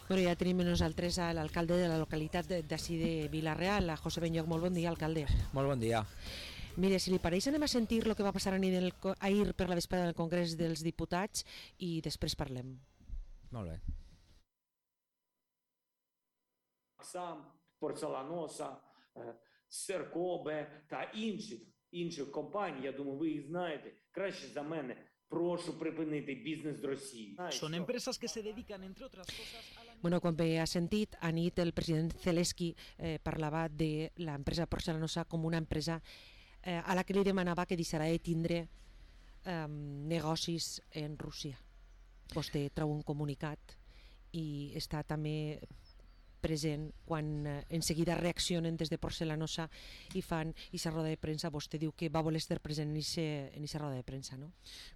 Bueno, ja tenim nosaltres a l'alcalde de la localitat d'ací de Vila-real, a José Benlloch. Molt bon dia, alcalde. Molt bon dia. Mire, si li pareix, anem a sentir el que va passar ahir per la vesprada del Congrés dels Diputats i després parlem. Molt bé. Сам, Порцеланоса, Серкобе та інших компаній, я думаю, ви їх знаєте краще за мене. Proшу pripiniti business Rossi. Son empresas que se dedican, entre otras cosas, a la... Bueno, com bé ha sentit, anit el president Zelensky parlava de l'empresa Porcelanosa com una empresa a la que li demanava que deixarà de tindre negocis en Rússia. Vostè treu un comunicat i està també present quan en seguida reaccionen des de Porcelanosa i fan aquesta roda de premsa. Vostè diu que va voler estar present en aquesta roda de premsa, no?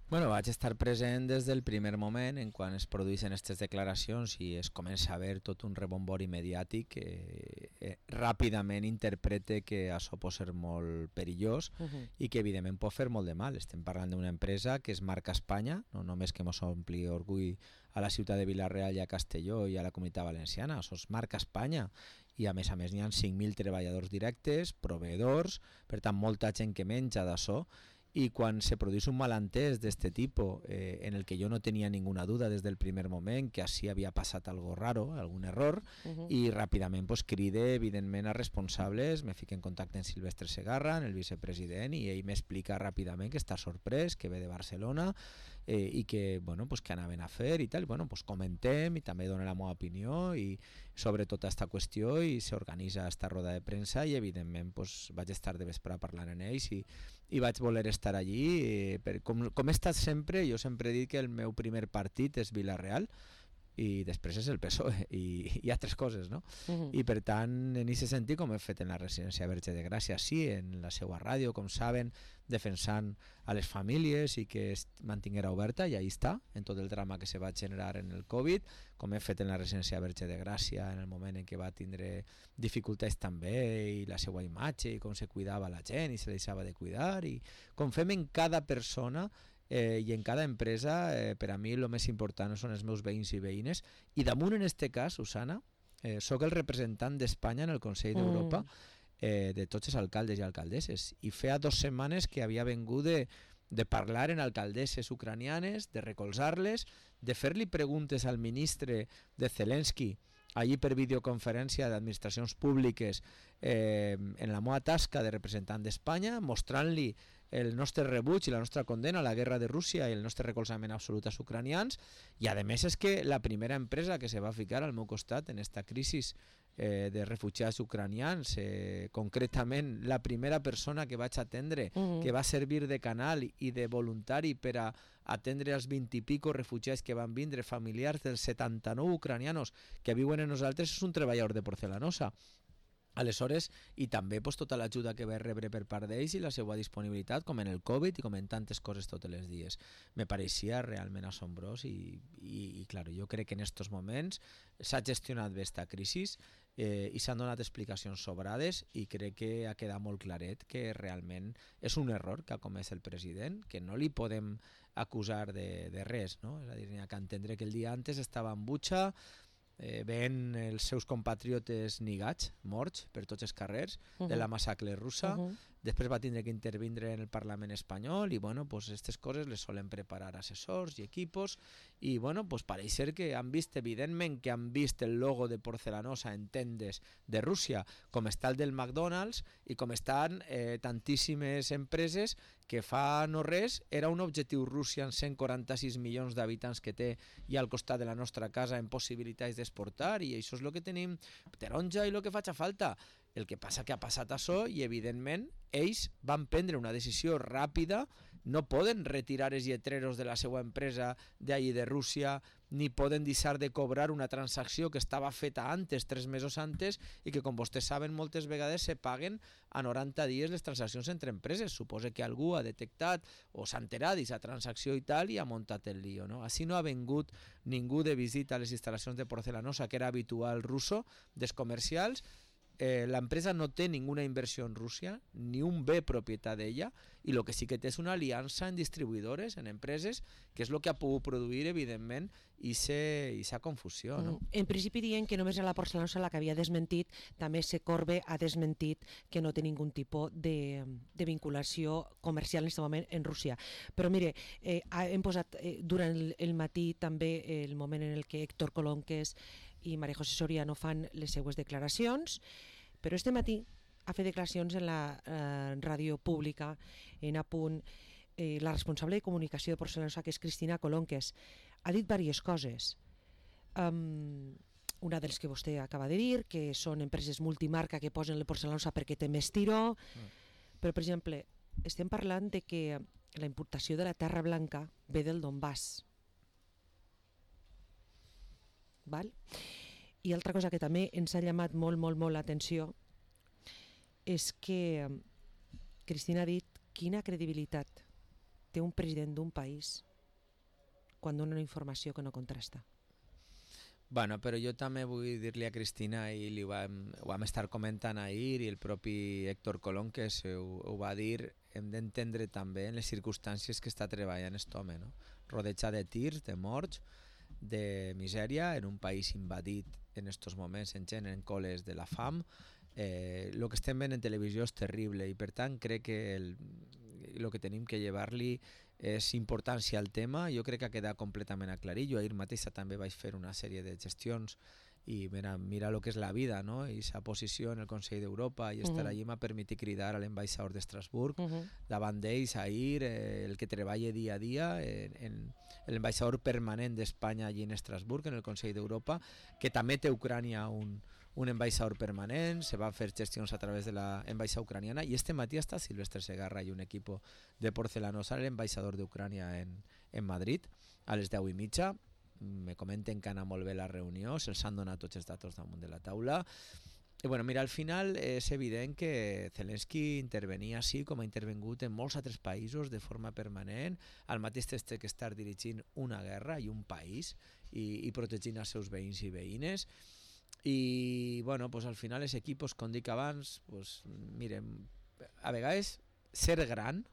Bueno, vaig estar present des del primer moment en quan es produeixen aquestes declaracions i es comença a veure tot un rebombori mediàtic que ràpidament interprete que això pot ser molt perillós i que evidentment pot fer molt de mal. Estem parlant d'una empresa que es marca Espanya, no només que ens ompli orgull a la ciutat de Vila-real i a Castelló i a la Comunitat Valenciana, això es marca Espanya i a més n'hi ha 5.000 treballadors directes, proveïdors, per tant molta gent que menja d'això, i quan se produeix un malentès d'este tipus en el que jo no tenia ninguna duda des del primer moment que així havia passat algo raro, algun error, i ràpidament pues, cride evidentment a responsables, me fico en contacte amb Silvestre Segarra, el vicepresident, i ell m'explica ràpidament que està sorprès, que ve de Barcelona i que, bueno, pues, que anaven a fer i tal, bueno, pues, comentem i també dona la meva opinió i sobre tota aquesta qüestió i s'organitza esta roda de premsa i evidentment pues, vaig estar de vespre parlant amb ells i vaig voler estar allí, com he estat sempre. Jo sempre he dit que el meu primer partit és Vila-real i després és el PSOE i altres coses, no? I per tant, en aquest sentit, com he fet en la residència Verge de Gràcia, sí, en la seva ràdio, com saben, defensant a les famílies i que es mantinguera oberta, i ahí està, en tot el drama que se va generar en el Covid, com he fet en la residència Verge de Gràcia en el moment en què va tindre dificultats també, i la seva imatge, i com se cuidava la gent i se deixava de cuidar, i com fem en cada persona i en cada empresa. Per a mi el més important són els meus veïns i veïnes, i damunt en este cas, Susana, sóc el representant d'Espanya en el Consell d'Europa de tots els alcaldes i alcaldesses, i feia 2 setmanes que havia vengut de parlar en alcaldesses ucranianes, de recolzar-les, de fer-li preguntes al ministre de Zelensky allí per videoconferència d'administracions públiques en la meva tasca de representant d'Espanya, mostrant-li el nostre rebuig i la nostra condena a la guerra de Rússia i el nostre recolzament absolut als ucranians. I a més és que la primera empresa que se va ficar al meu costat en esta crisi de refugiats ucranians, concretament la primera persona que vaig atendre, que va servir de canal i de voluntari per a atendre els 20 i pico refugiats que van vindre, familiars dels 79 ucranianos que viuen en nosaltres, és un treballador de Porcelanosa. Aleshores, i també pues, tota l'ajuda que va rebre per part d'ells i la seva disponibilitat, com en el Covid i com en tantes coses tots els dies. Me pareixia realment assombrós i clar, jo crec que en aquests moments s'ha gestionat bé aquesta crisi i s'han donat explicacions sobrades, i crec que ha quedat molt claret que realment és un error que ha comès el president, que no li podem acusar de res, no? És a dir, n'hi ha que entendre que el dia antes estava en Butxa, veient els seus compatriotes nigats, morts per tots els carrers de la massacre russa. Després va tindre que intervindre en el Parlament espanyol i bueno, pues aquestes coses les solen preparar assessors i equipos, i bueno, pues pareix ser que han vist, evidentment que han vist el logo de Porcelanosa en tendes de Rússia, com està el del McDonald's i com estan tantíssimes empreses que fa no res era un objectiu Rússia en 146 milions d'habitants que té i al costat de la nostra casa en possibilitats d'exportar, i això és el que tenim taronja i el que faci falta. El que passa que ha passat això i evidentment ells van prendre una decisió ràpida, no poden retirar els lletreros de la seva empresa d'allí de Rússia, ni poden deixar de cobrar una transacció que estava feta antes, 3 mesos antes, i que com vostès saben moltes vegades se paguen a 90 dies les transaccions entre empreses. Suposa que algú ha detectat o s'ha enterat d'aquesta transacció i tal i ha muntat el lío, no? Així no ha vingut ningú de visita a les instal·lacions de Porcelanosa, que era habitual russo, dels comercials, la empresa no té ninguna inversió en Rússia, ni un bé propietat d'ella, i el que sí que té és una aliança en distribuïdores, en empreses, que és el que ha pogut produir, evidentment, i confusió. No? En principi diuen que només era la porcelanosa la que havia desmentit, també Secorbe ha desmentit que no té ningun tipus de vinculació comercial en aquest moment en Rússia. Però mire, hem posat durant el matí també el moment en el que Héctor Colonques i María José Soriano fan les seues declaracions, però este matí ha fet declaracions en la ràdio pública en Apunt. La responsable de comunicació de Porcelanosa, que és Cristina Colonques, ha dit diverses coses. Una dels que vostè acaba de dir, que són empreses multimarca que posen la porcelanosa perquè té més tiró, però, per exemple, estem parlant de que la importació de la terra blanca ve del Donbass. Val? I altra cosa que també ens ha llamat molt l'atenció és que Cristina ha dit quina credibilitat té un president d'un país quan dona una informació que no contrasta. Bueno, però jo també vull dir-li a Cristina, i ho vam estar comentant ahir, i el propi Héctor Colón, que ho va dir, hem d'entendre també en les circumstàncies que està treballant aquest home, no? Rodeja de tirs, de morts, de misèria, en un país invadit en estos moments en gent en coles de la fam. El que estem veient en televisió és terrible, i per tant crec que el que tenim que llevar-li és importància al tema. Jo crec que ha quedat completament aclarit. Jo ahir mateixa també vaig fer una sèrie de gestions i mira el que és la vida, no? I sa posició en el Consell d'Europa i estar allí m'ha permès cridar a l'ambaixador d'Estrasburg davant d'ells ahir, el que treballa dia a dia, l'ambaixador permanent d'Espanya allí en Estrasburg, en el Consell d'Europa, que també té a Ucrània un ambaixador permanent. Se van fer gestions a través de l'ambaixada ucraniana, i este matí està Silvestre Segarra i un equip de Porcelanosa, l'ambaixador d'Ucrània en Madrid, a les 10:30. Me comenten que anà molt bé la reunió, se'ls han donat tots els datos damunt de la taula. I bueno, mira, al final és evident que Zelensky intervenia així com ha intervengut en molts altres països de forma permanent. Al mateix temps té que estar dirigint una guerra i un país i protegint els seus veïns i veïnes. I bueno, pues al final els equipos, com dic abans, pues, miren, a vegades ser gran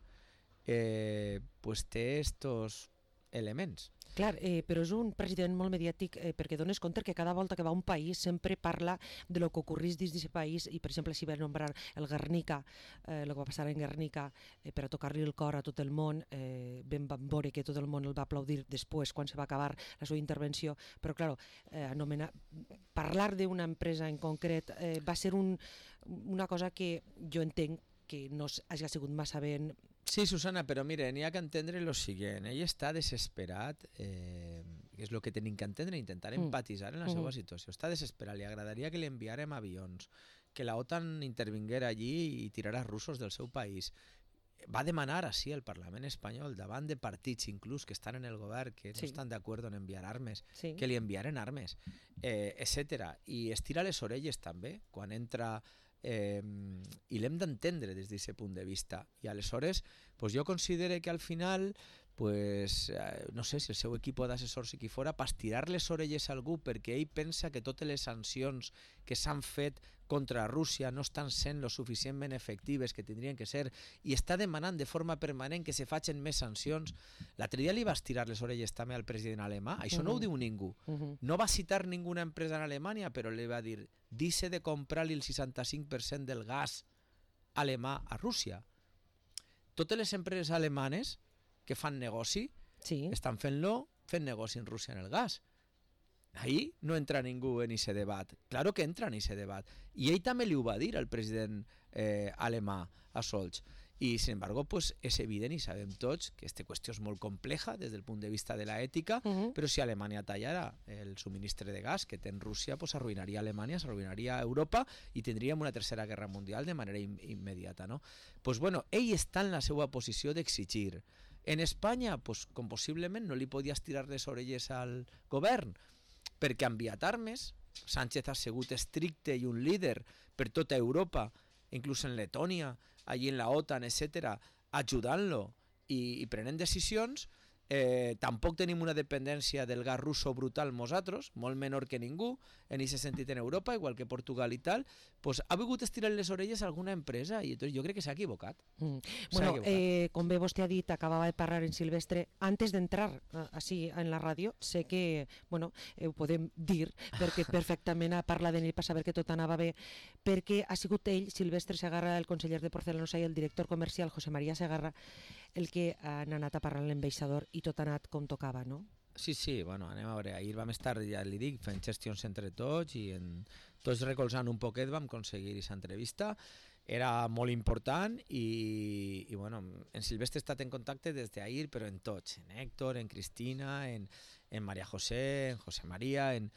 pues té estos elements. Clar, però és un president molt mediàtic perquè dones compte que cada volta que va a un país sempre parla de lo que ocorrís dins d'aquest país, i per exemple si va nombrar el Guernica, el que va passar en Guernica, per a tocar-li el cor a tot el món, vam veure que tot el món el va aplaudir després quan se va acabar la seva intervenció, però clar, parlar d'una empresa en concret va ser una cosa que jo entenc que no hagi sigut massa ben. Sí, Susana, però mira, n'hi ha que entendre el següent. Ell està desesperat, que és el que tenim que entendre, intentar empatitzar en la seva situació. Està desesperat, li agradaria que li enviarem avions, que la OTAN intervinguera allí i tirara russos del seu país. Va demanar així al Parlament espanyol, davant de partits inclús que estan en el govern, que no estan d'acord en enviar armes, que li enviaren armes, etc. I estira les orelles també, quan entra... i l'hem d'entendre des d'aquest punt de vista, i aleshores pues jo considero que al final pues, no sé si el seu equip d'assessors i qui fora, pas tirar les orelles a algú perquè ell pensa que totes les sancions que s'han fet contra Rússia no estan sent lo suficientment efectives que tindrien que ser, i està demanant de forma permanent que se facin més sancions. L'altre dia li vas tirar les orelles també al president alemà, això no ho diu ningú. No va citar ninguna empresa en Alemanya, però li va dir: dice de comprar-li el 65% del gas alemà a Rússia. Totes les empreses alemanes que fan negoci estan fent negoci en Rússia en el gas. Ahí no entra ningú en aquest debat. Claro que entra en aquest debat. I ell també li ho va dir al president alemà, a Scholz. I, sin embargo, pues, és evident i sabem tots que aquesta qüestió és molt compleja des del punt de vista de l'ètica, però si Alemanya tallara el subministre de gas que té en Rússia, pues, arruïnaria Alemanya, s'arruïnaria Europa i tindríem una tercera guerra mundial de manera immediata, no? Pues, bueno, ell està en la seva posició d'exigir. En Espanya, pues, com possiblement no li podies tirar les orelles al govern, perquè ha enviat armes. Sánchez ha sigut estricte i un líder per tota Europa, inclús en Letònia, allí en la OTAN, etc., ajudant-lo i prenent decisions. tampoc tenim una dependència del gas russo brutal nosaltres, molt menor que ningú, en aquest sentit en Europa, igual que Portugal i tal, pues, ha vingut estirar les orelles a alguna empresa i entonces jo crec que s'ha equivocat. Bueno, com bé vostè ha dit, acabava de parlar en Silvestre, antes d'entrar així en la ràdio, sé que, bueno, ho podem dir, perquè perfectament ha parlat d'ell per saber que tot anava bé, perquè ha sigut ell, Silvestre Segarra, el conseller de Porcelanosa i el director comercial, José María Segarra, el que han anat a parlar amb l'ambaixador i tot ha anat com tocava, no? Sí, bueno, anem a veure, ahir vam estar, ja li dic, fent gestions entre tots i tots recolzant un poquet vam aconseguir aquesta entrevista. Era molt important i bueno, en Silvestre he estat en contacte des d'ahir, però en tots, en Héctor, en Cristina, en María José, en José María, en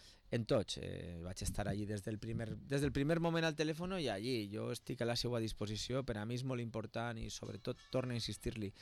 tots. Vaig estar allí des del primer moment al telèfon i allí. Jo estic a la seva disposició, per a mi és molt important i sobretot, torno a insistir-li,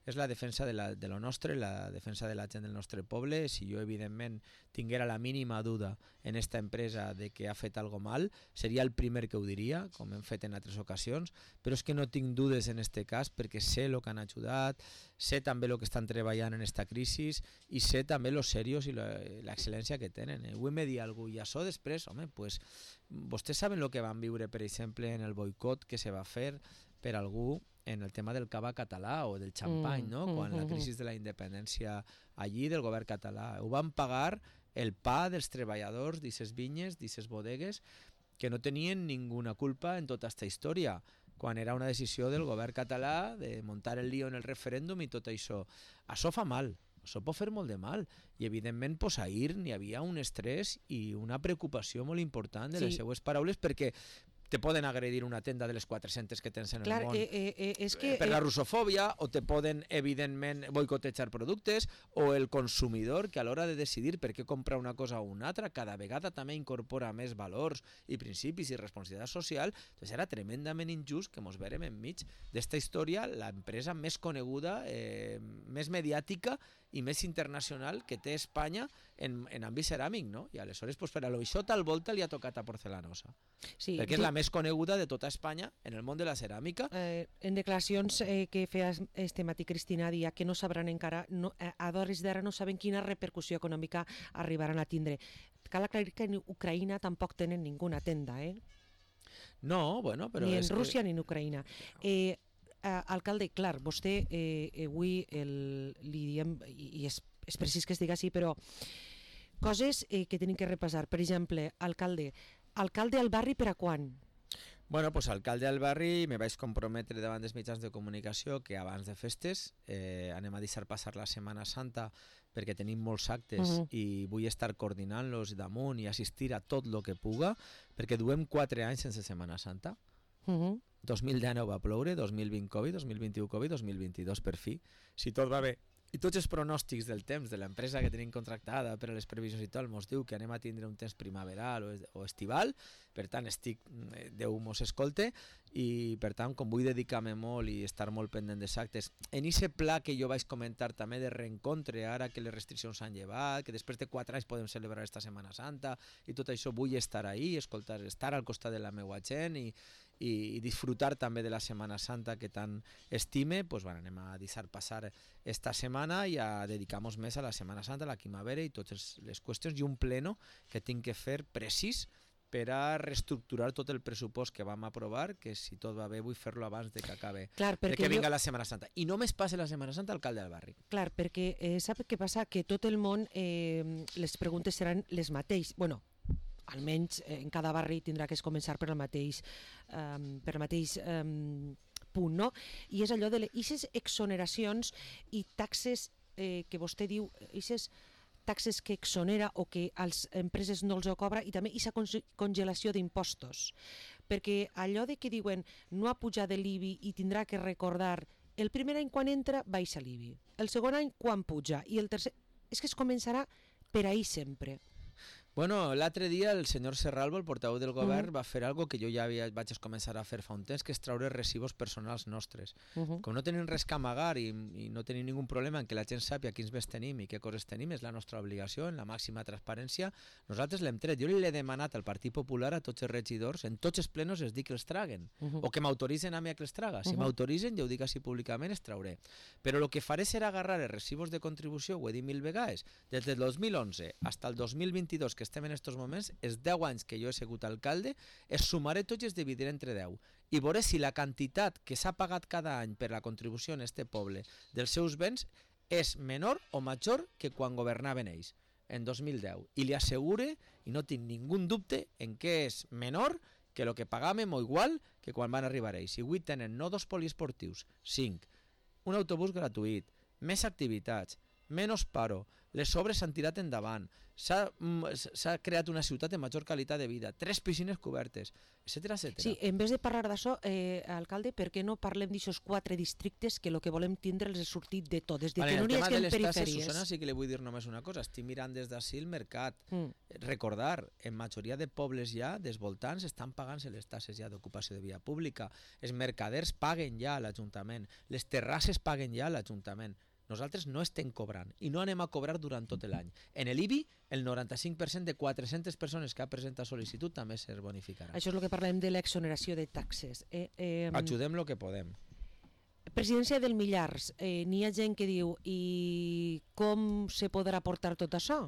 és la defensa de lo nostre, la defensa de la gent del nostre poble. Si jo, evidentment, tinguera la mínima duda en esta empresa de que ha fet algo mal, seria el primer que ho diria, com hem fet en altres ocasions, però és que no tinc dudes en este cas perquè sé el que han ajudat, sé també el que estan treballant en esta crisi i sé també lo serios i l'excel·lència que tenen. Avui me dir alguna cosa i això després, home, pues, vostès saben el que van viure, per exemple, en el boicot que se va fer per algú en el tema del cava català o del xampany, no? Quan la crisi de la independència allí del govern català. Ho van pagar el pa dels treballadors d'aquestes vinyes, d'aquestes bodegues, que no tenien ninguna culpa en tota aquesta història, quan era una decisió del govern català de muntar el lío en el referèndum i tot això. Això fa mal, això pot fer molt de mal. I evidentment, pues, ahir n'hi havia un estrès i una preocupació molt important de les seues paraules perquè te poden agredir una tenda de les 400 que tens en el món per la russofòbia, o te poden, evidentment, boicotejar productes, o el consumidor, que a l'hora de decidir per què comprar una cosa o una altra, cada vegada també incorpora més valors i principis i responsabilitat social. Entonces era tremendament injust que mos vèrem enmig d'esta història, l'empresa més coneguda, més mediàtica i més internacional que té Espanya en àmbit ceràmic, no? I aleshores, pues, per a això tal volta li ha tocat a Porcelanosa. Sí, perquè és la més coneguda de tota Espanya en el món de la ceràmica. En declaracions que feia este matí Cristina dia que no sabran encara, a d'hores d'ara no saben quina repercussió econòmica arribaran a tindre. Cal aclarir que en Ucraïna tampoc tenen ninguna tenda, No, bueno, però ni en Rússia ni en Ucraïna. Alcalde, clar, vostè avui li diem, i és precís que es diga així, però coses que tenim que repassar. Per exemple, alcalde al barri per a quan? Bueno, pues alcalde al barri me vaig comprometre davant dels mitjans de comunicació que abans de festes anem a deixar passar la Setmana Santa perquè tenim molts actes i vull estar coordinant-los damunt i assistir a tot el que puga perquè duem 4 anys sense Setmana Santa. 2019 va ploure, 2020 Covid, 2021 Covid, 2022 per fi. Si tot va bé i tots els pronòstics del temps de l'empresa que tenim contractada per a les previsions i tal mos diu que anem a tindre un temps primaveral o estival, per tant Déu mos escolte i per tant com vull dedicar-me molt i estar molt pendent dels actes en aquest pla que jo vaig comentar també de reencontre ara que les restriccions s'han llevat, que després de 4 anys podem celebrar esta Setmana Santa i tot això vull estar ahí, escoltar, estar al costat de la meva gent i disfrutar també de la Setmana Santa que tant estime, pues bueno, anem a deixar passar esta setmana i a dedicar-nos més a la Setmana Santa, a la primavera i totes les qüestions i un pleno que tinc que fer precís per a reestructurar tot el pressupost que vam aprovar, que si tot va bé vull fer-lo abans de que acabe, de que vinga la Setmana Santa. I només passe la Setmana Santa alcalde del barri. Clar, perquè sap què passa? Que tot el món les preguntes seran les mateixes. Bueno, almenys en cada barri tindrà que començar per el mateix punt, no? I és allò de aquestes exoneracions i taxes que vostè diu, aquestes taxes que exonera o que a les empreses no els ho cobra, i també aquesta congelació d'impostos. Perquè allò de que diuen no ha pujat l'IBI i tindrà que recordar el primer any quan entra baixa l'IBI, el segon any quan puja i el tercer... És que es començarà per ahir sempre. Bueno, l'altre dia el senyor Serralvo, el portaveu del govern, va fer algo que jo ja vaig començar a fer fa un temps, que és treure residus personals nostres. Com no tenim res que amagar i no tenim ningú problema en que la gent sàpiga quins béns tenim i què coses tenim, és la nostra obligació, en la màxima transparència, nosaltres l'hem tret. Jo li he demanat al Partit Popular, a tots els regidors, en tots els plenos es dic que els traguen, o que m'autoritzen a mi a que els traga. Si m'autoritzen, ja ho dic així públicament, els trauré. Però el que faré serà agarrar els residus de contribució, ho he dit 1000 vegades, des del 2011 fins al 2022, que estem en estos moments, els 10 anys que jo he sigut alcalde, es sumaré tots i es dividiré entre 10. I veuré si la quantitat que s'ha pagat cada any per la contribució en este poble dels seus béns és menor o major que quan governaven ells, en 2010. I li assegure, i no tinc ningú dubte, en què és menor que el que pagàvem o igual que quan van arribar ells. I avui tenen no 2 poliesportius, 5, un autobús gratuït, més activitats, menys paro, les obres s'han tirat endavant, s'ha creat una ciutat de major qualitat de vida, 3 piscines cobertes, etc. Sí, en vez de parlar d'això, alcalde, per què no parlem d'aixòs 4 districtes que el que volem tindre els ha sortit de tot, des de que no n'hi hagi en perifèries? Susana, sí que li vull dir només una cosa, estic mirant des d'ací el mercat. Recordar, en majoria de pobles ja, dels voltants, estan pagant-se les tasses ja d'ocupació de via pública, els mercaders paguen ja a l'Ajuntament, les terrasses paguen ja a l'Ajuntament. Nosaltres no estem cobrant i no anem a cobrar durant tot l'any. En l'IBI, el 95% de 400 persones que ha presentat sol·licitud també es bonificarà. Això és el que parlem de l'exoneració de taxes. Ajudem el que podem. Presidència del Millars, n'hi ha gent que diu i com se podrà portar tot això?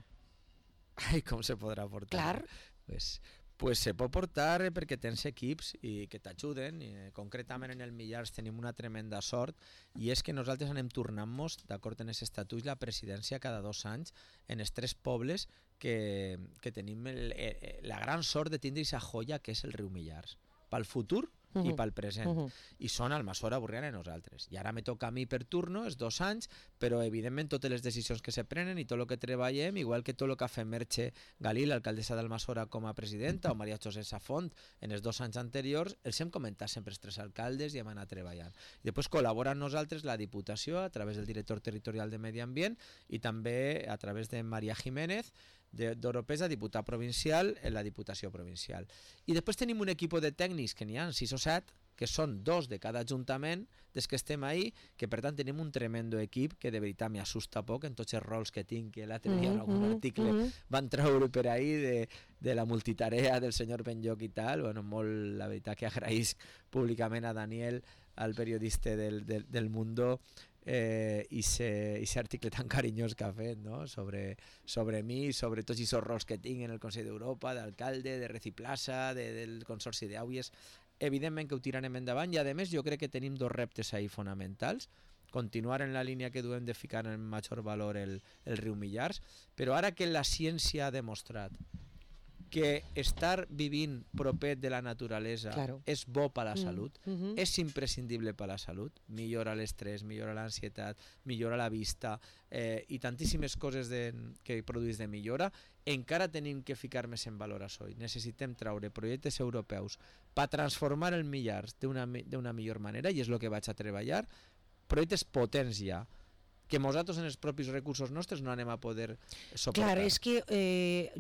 Ai, com se podrà portar? Clar. Pues se pot portar perquè tens equips i que t'ajuden. Concretament en el Millars tenim una tremenda sort i és que nosaltres anem tornant-nos, d'acord en els estatuts, la presidència cada 2 anys en els 3 pobles que tenim la gran sort de tindre aquesta joia que és el riu Millars. Pel futur i pel present. I són Almassora, Borriana i nosaltres. I ara me toca a mi per turno, els 2 anys, però evidentment totes les decisions que se prenen i tot el que treballem, igual que tot el que ha fet Merche Galí, l'alcaldessa d'Almassora com a presidenta, o Maria José Safont en els 2 anys anteriors, els hem comentat sempre els 3 alcaldes i hem anat treballant. I després col·labora amb nosaltres la Diputació a través del director territorial de Medi Ambient i també a través de Maria Jiménez, d'Oropesa, diputat provincial en la Diputació Provincial. I després tenim un equip de tècnics que n'hi ha 6 o 7, que són 2 de cada ajuntament des que estem ahí, que per tant tenim un tremendo equip que de veritat m'assusta poc en tots els rols que tinc, que l'altre dia en algun article van treure per ahí de la multitarea del senyor Benlloc i tal. Bueno, molt, la veritat que agraïsc públicament a Daniel, al periodista del Mundo, i aquest article tan carinyós que ha fet, no? sobre mi, sobre tots aquests rols que tinc en el Consell d'Europa, d'alcalde, de Reciplaça, del Consorci d'Auies. Evidentment que ho tirarem endavant i a més jo crec que tenim 2 reptes ahí fonamentals: continuar en la línia que duem de ficar en major valor el riu Millars, però ara que la ciència ha demostrat que estar vivint proper de la naturalesa és bo per a la salut, és imprescindible per a la salut, millora l'estrès, millora l'ansietat, millora la vista i tantíssimes coses que produeix de millora, encara tenim que ficar més en valor això. Necessitem treure projectes europeus per transformar el Millars d'una millor manera, i és el que vaig a treballar, projectes potents ja, que nosaltres en els propis recursos nostres no anem a poder soportar. Clar, és que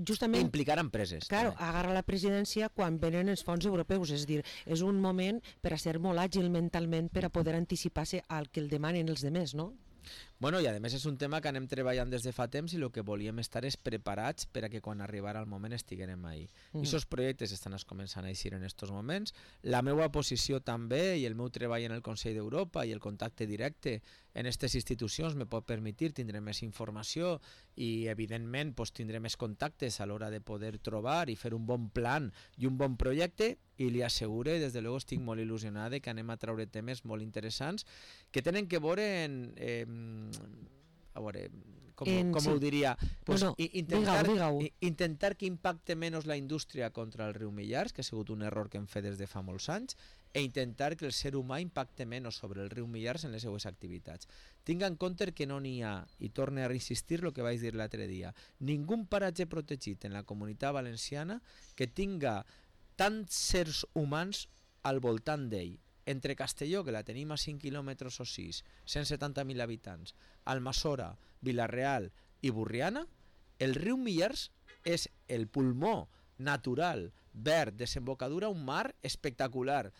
justament... Implicar empreses. Clar, agarra la presidència quan venen els fons europeus, és a dir, és un moment per a ser molt àgil mentalment per a poder anticipar-se al que el demanen els demés, no? Bueno, i a més és un tema que anem treballant des de fa temps i el que volíem estar és preparats per a que quan arribara el moment estiguem ahí. I aquests projectes estan començant a eixir en aquests moments. La meva posició també i el meu treball en el Consell d'Europa i el contacte directe en aquestes institucions me pot permetre tindre més informació i evidentment tindré més contactes a l'hora de poder trobar i fer un bon plan i un bon projecte, i li asseguro, des de luego estic molt il·lusionada que anem a treure temes molt interessants que tenen que veure com ho diria, intentar que impacte menys la indústria contra el riu Millars, que ha sigut un error que hem fet des de fa molts anys, i intentar que el ser humà impacte menys sobre el riu Millars en les seues activitats. Tinc en compte que no n'hi ha, i torno a insistir el que vaig dir l'altre dia, ningú paratge protegit en la Comunitat Valenciana que tinga tants sers humans al voltant d'ell. Entre Castelló, que la tenim a 5 quilòmetres o 6, 170.000 habitants, Almassora, Vila-real i Borriana, el riu Millars és el pulmó natural, verd, desembocadura a un mar espectacular,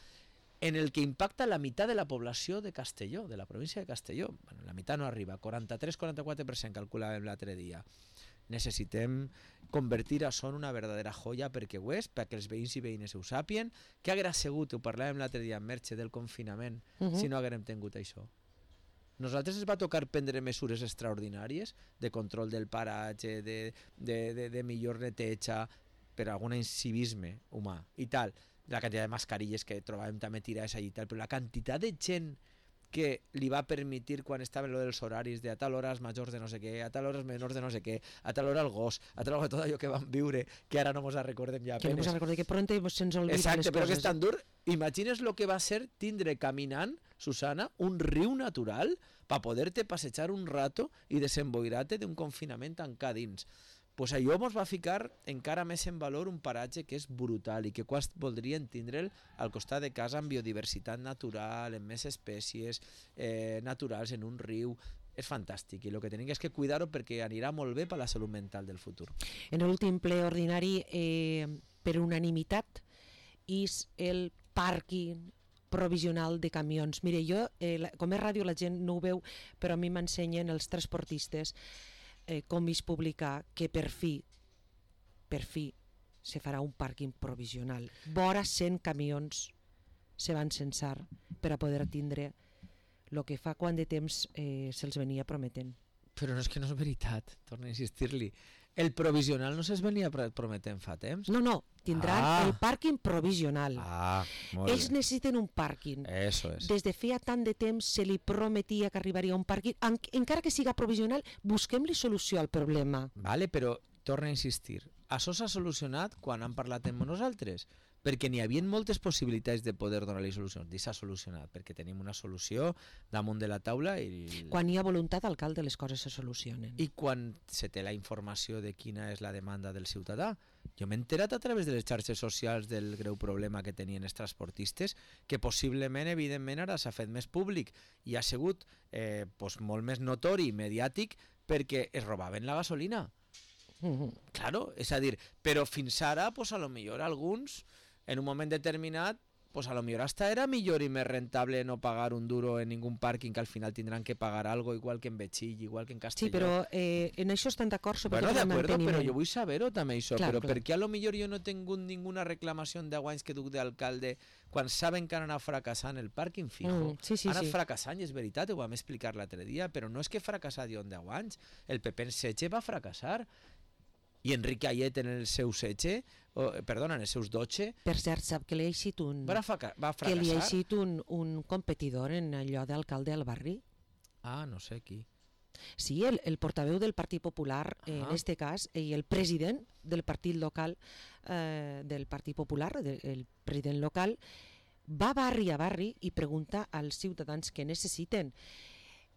en el que impacta la mitad de la població de Castelló, de la província de Castelló. Bueno, la mitad no arriba, 43-44% calculàvem l'altre dia. Necessitem convertir això en una verdadera joia perquè ho és, perquè els veïns i veïnes ho sàpien. Què haguera sigut, ho parlàvem l'altre dia en Merche, del confinament, si no haguérem tingut això? Nosaltres ens va tocar prendre mesures extraordinàries de control del paratge, de millor neteja, per algun incivisme humà i tal. La quantitat de mascarilles que trobàvem també tirades allà i tal, però la quantitat de gent que li va permitir quan estaven lo dels horaris de a tal hora els majors de no sé què, a tal hora els menors de no sé què, a tal hora el gos, a tal hora tot allò que vam viure, que ara no mos recordem ja. Que no mos recordem, que pronto se'ns olvida les coses. Exacte, però que és tan dur. Imagines lo que va ser tindre caminant, Susana, un riu natural per poder-te passejar un rato i desemboirar-te d'un confinament tancat dins. Pues allò ens va ficar encara més en valor un paratge que és brutal i que quasi voldrien tindre'l al costat de casa amb biodiversitat natural, amb més espècies naturals, en un riu. És fantàstic i el que tenim és que cuidar-ho perquè anirà molt bé per la salut mental del futur. En l'últim ple ordinari, per unanimitat, és el pàrquing provisional de camions. Mire, jo, com és ràdio la gent no ho veu, però a mi m'ensenyen els transportistes com és publicar que per fi se farà un pàrquing provisional. Vora 100 camions se van censar per a poder tindre el que fa quant de temps se'ls venia prometent. Però no és que no és veritat, torno a insistir-li. El provisional no se'ls venia prometent fa temps? No, tindran el pàrquing provisional. Molt Ells bé. necessiten un pàrquing. Eso és. Des de feia tant de temps se li prometia que arribaria un pàrquing. Encara que siga provisional, busquem-li solució al problema. Vale, però torna a insistir. Això s'ha solucionat quan han parlat amb nosaltres, perquè n'hi havia moltes possibilitats de poder donar-li solucions. I s'ha solucionat, perquè tenim una solució damunt de la taula i... Quan hi ha voluntat, alcalde, les coses se solucionen. I quan se té la informació de quina és la demanda del ciutadà. Jo m'he enterat a través de les xarxes socials del greu problema que tenien els transportistes, que possiblement, evidentment, ara s'ha fet més públic i ha sigut molt més notori i mediàtic perquè es robaven la gasolina. Claro, és a dir, però fins ara, pues, a lo millor alguns, en un moment determinat, pues a lo millor hasta era millor i més rentable no pagar un duro en ningún pàrquing, que al final tindran que pagar algo, igual que en Betxill, igual que en Castelló. Sí, però en això estan d'acord, sobretot bueno, amb el manteniment. però jo vull saber-ho també això, clar, però clar. per què a lo millor jo no he tingut ninguna reclamació en 10 anys que duc d'alcalde quan saben que han anat fracassant el pàrquing fijo? Sí, han anat fracassant, i és veritat, ho vam explicar l'altre dia, però no és que fracassar jo en 10 anys, el PP en Setge va fracassar, i Enric Ayet en el seu setge, en els seus 12... Per cert, sap que li ha eixit va fracassar? Que li ha eixit un competidor en allò d'alcalde al barri? No sé qui. Sí, el portaveu del Partit Popular, en este cas, i el president del partit local del Partit Popular, el president local, va barri a barri i pregunta als ciutadans què necessiten.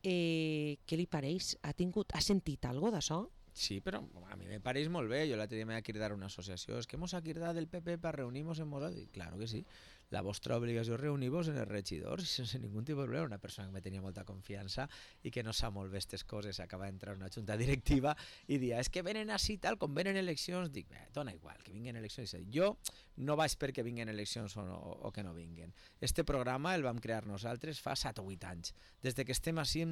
Què li pareix? Ha sentit alguna cosa d'això? Sí, però a mi me pareix molt bé. Jo l'altre dia m'he de cridar una associació. És que mos ha cridat el PP per reunir-nos en nosaltres. Claro que sí. La vostra obligació és reunir-vos en els regidors sense ningú tipus de problema. Una persona que me tenia molta confiança i que no sap molt bé aquestes coses, acaba d'entrar en una junta directiva i dia, és que venen així tal, com venen eleccions, dic, dona igual, que vinguen eleccions. Jo no vaig perquè vinguen eleccions o que no vinguen. Este programa el vam crear nosaltres fa 7 o 8 anys. Des que estem així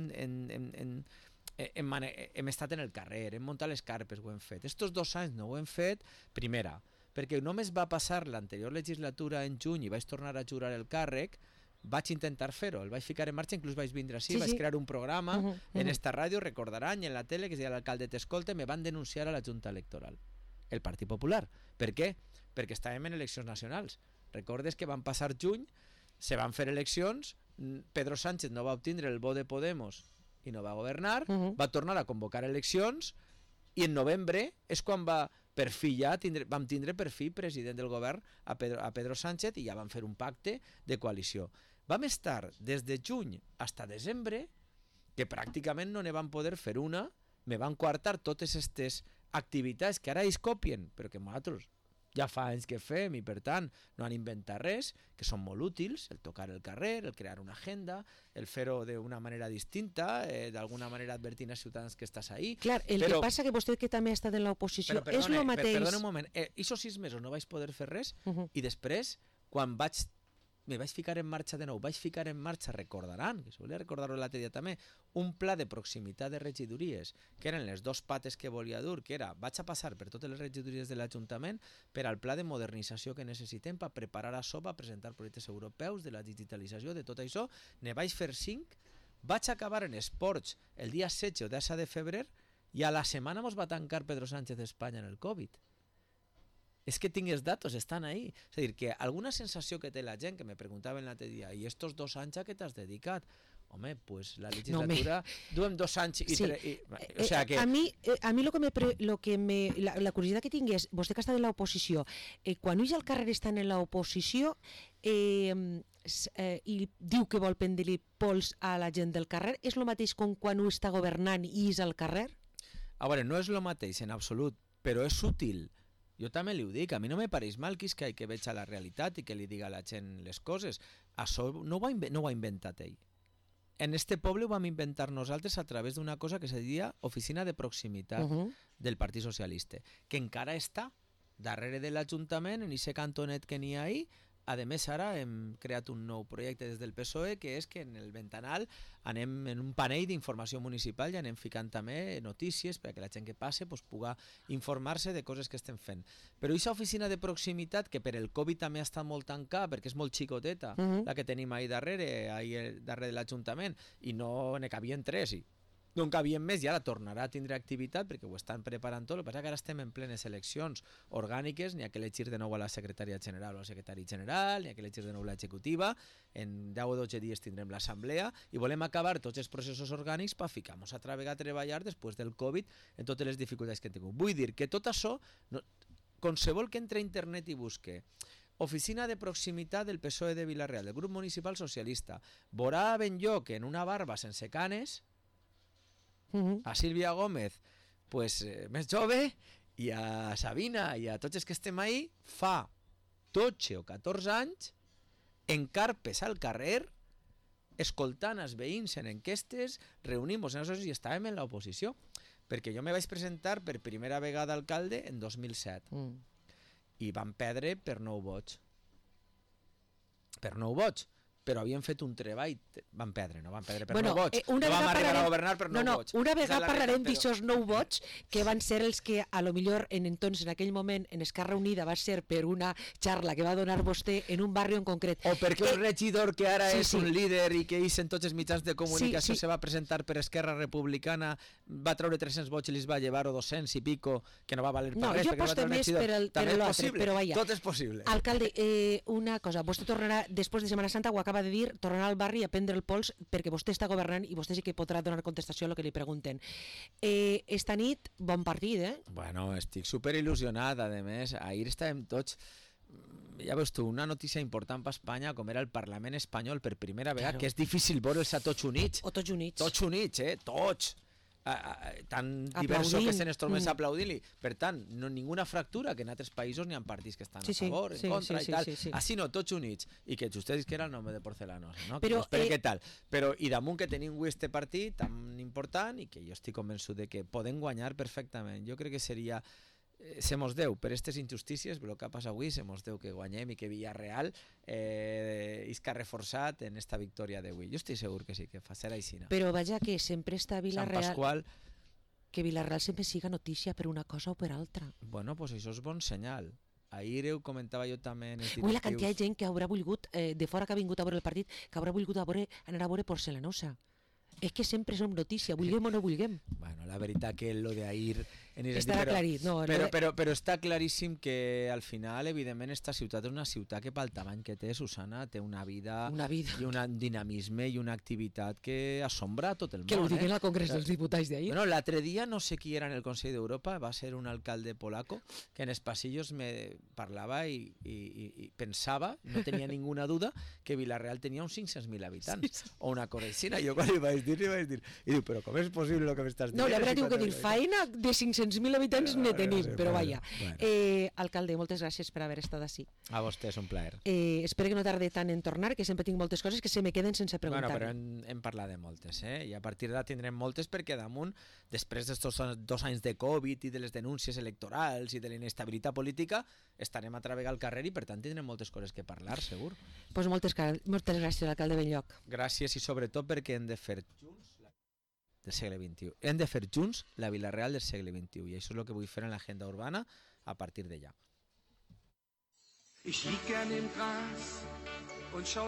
hem estat en el carrer, hem muntat les carpes, ho hem fet. Estos 2 anys no ho hem fet, primera, perquè només va passar l'anterior legislatura en juny i vaig tornar a jurar el càrrec, vaig intentar fer-ho, el vaig ficar en marxa, inclús vaig vindre així, vaig crear un programa en esta ràdio, recordaran, i en la tele, que es deia l'alcalde t'escolta, me van denunciar a la Junta Electoral, el Partit Popular. Per què? Perquè estàvem en eleccions nacionals. Recordes que van passar juny, se van fer eleccions, Pedro Sánchez no va obtindre el vot de Podemos i no va governar, va tornar a convocar eleccions i en novembre és quan vam tindre per fi president del govern a Pedro Sánchez i ja vam fer un pacte de coalició. Vam estar des de juny fins a desembre que pràcticament no ne van poder fer una, me van coartar totes aquestes activitats que ara ells copien, però que nosaltres ja fa anys que fem i per tant no han inventat res, que són molt útils, el tocar el carrer, el crear una agenda, el fer-ho d'una manera distinta, d'alguna manera advertint als ciutadans que estàs ahí. Clar, el que passa que vostè que també ha estat en l'oposició és el mateix... Perdona un moment, aquests 6 mesos no vaig poder fer res i després, quan me vaig ficar en marxa de nou, recordaran, que volia recordar-ho l'altre dia també, un pla de proximitat de regidories, que eren les 2 pates que volia dur, que era, vaig a passar per totes les regidories de l'Ajuntament per al pla de modernització que necessitem per preparar això, per presentar projectes europeus de la digitalització, de tot això, ne vaig fer 5, vaig acabar en esports el dia 16 o 10 de febrer i a la setmana mos va tancar Pedro Sánchez d'Espanya en el Covid. És que tinc els datos, estan ahí. És a dir, que alguna sensació que té la gent, que me preguntaven l'altre dia, i estos 2 anys a què t'has dedicat? Home, pues la legislatura... Duem 2 anys i... Sí. O sea que... A mi la curiositat que tinc és, vostè que està en l'oposició, quan ulls al carrer estan en l'oposició i diu que vol prendre-li pols a la gent del carrer, és el mateix com quan ho està governant i és al carrer? A veure, no és el mateix en absolut, però és útil. Jo també li ho dic, a mi no me pareix mal que veig a la realitat i que li diga a la gent les coses. Això no ho ha inventat ell. En este poble ho vam inventar nosaltres a través d'una cosa que se diria Oficina de Proximitat del Partit Socialista, que encara està darrere de l'Ajuntament, en aquest cantonet que n'hi ha ahí. A més, ara hem creat un nou projecte des del PSOE, que és que en el ventanal anem en un panell d'informació municipal i anem ficant també notícies perquè la gent que passe pugui informar-se de coses que estem fent. Però aquesta oficina de proximitat, que per el Covid també ha estat molt tancada, perquè és molt xicoteta, la que tenim ahí darrere de l'Ajuntament, i no ne cabien 3, no en cabien més, i ara tornarà a tindre activitat perquè ho estan preparant tot. El que passa que ara estem en plenes eleccions orgàniques, n'hi ha que elegir de nou a la secretària general o al secretari general, n'hi ha que elegir de nou l'executiva, en 10 o 12 dies tindrem l'assemblea i volem acabar tots els processos orgànics per ficar-nos altra vegada a treballar després del Covid en totes les dificultats que hem tingut. Vull dir que tot això, qualsevol que entre a internet i busque Oficina de Proximitat del PSOE de Vila-real, del grup municipal socialista, veurà ben lloc en una barba sense canes, a Sílvia Gómez més jove, i a Sabina i a tots els que estem ahí fa 12 o 14 anys en carpes al carrer escoltant els veïns en enquestes, reunimos en associacions i estàvem en l'oposició, perquè jo me vaig presentar per primera vegada alcalde en 2007 i vam perdre per 9 vots, però havien fet un treball, van perdre per 9 vots, no vam arribar a governar per 9 vots. Una vegada parlarem d'aixòs 9 vots, que van ser els que a lo millor en aquell moment en Esquerra Unida va ser per una xarra que va donar vostè en un barri en concret. O perquè un regidor que ara és un líder i que és en tots els mitjans de comunicació se va presentar per Esquerra Republicana, va treure 300 vots i li va llevar 200 i pico, que no va valer per res. No, jo aposto més per l'altre, però vaja. Tot és possible. Alcalde, una cosa, vostè tornarà, després de Setmana Santa, ho acaba de dir, tornarà al barri a prendre el pols perquè vostè està governant i vostè sí que podrà donar contestació a lo que li pregunten. Esta nit, bon partit, Bueno, estic superil·lusionat, a més, ahir estàvem tots, ja veus tu, una notícia important per Espanya, com era el Parlament espanyol per primera vegada, que és difícil veure'ls a tots units. O tots units. Tots units, tots. Tan diversos que se n'es trobés aplaudint-li. Per tant, no ninguna fractura, que en altres països n'hi ha partits que estan a favor, en contra i tal. Així no, tots units. I que justets que era el nom de Porcelanosa, no? Però, què tal? Però, i damunt que tenim avui este partit tan important i que jo estic convençut de que podem guanyar perfectament. Jo crec que seria... se mos deu per aquestes injustícies, el que ha passat avui, se mos deu que guanyem i que Villarreal isca reforçat en esta victòria d'avui. Jo estic segur que sí, que serà així. Però vaja, que sempre està Villarreal... Sant Pasqual... Que Villarreal sempre siga notícia per una cosa o per altra. Bueno, pues això és bon senyal. Ahir ho comentava jo també en els directius. La quantitat de gent que haurà volgut, de fora que ha vingut a veure el partit, que haurà volgut anar a veure Porcelanosa. És que sempre som notícia, vulguem o no vulguem. Bueno, la veritat que lo d'ahir... Estarà aclarit, no? Però està claríssim que al final, evidentment, esta ciutat és una ciutat que pel tamany que té, Susana, té una vida i un dinamisme i una activitat que assombra tot el món. Que ho diguen al Congrés dels Diputats d'ahir. Bueno, l'altre dia, no sé qui era en el Consell d'Europa, va ser un alcalde polaco, que en els passillos me parlava i pensava, no tenia ninguna duda, que Villarreal tenia uns 500.000 habitants, o una cosa així. Jo quan li vaig dir, i diu, però com és possible el que m'estàs dient? No, la veritat diu que dir, faena de 500.000 500.000 habitants ne tenim, però vaja. Bueno. Alcalde, moltes gràcies per haver estat ací. A vostè és un plaer. Espero que no tarde tant en tornar, que sempre tinc moltes coses que se me queden sense preguntar. Bueno, però hem parlat de moltes, i a partir d'ara tindrem moltes perquè damunt, després d'estos 2 anys de Covid i de les denúncies electorals i de la inestabilitat política, estarem a treballar al carrer i per tant tindrem moltes coses que parlar, segur. Pues moltes gràcies, alcalde Benlloc. Gràcies i sobretot perquè hem de fer junts del segle XXI. Hem de fer junts la Vila Real del segle XXI i això és el que vull fer en l'agenda urbana a partir d'allà. Ich lieg gern im Gras und schau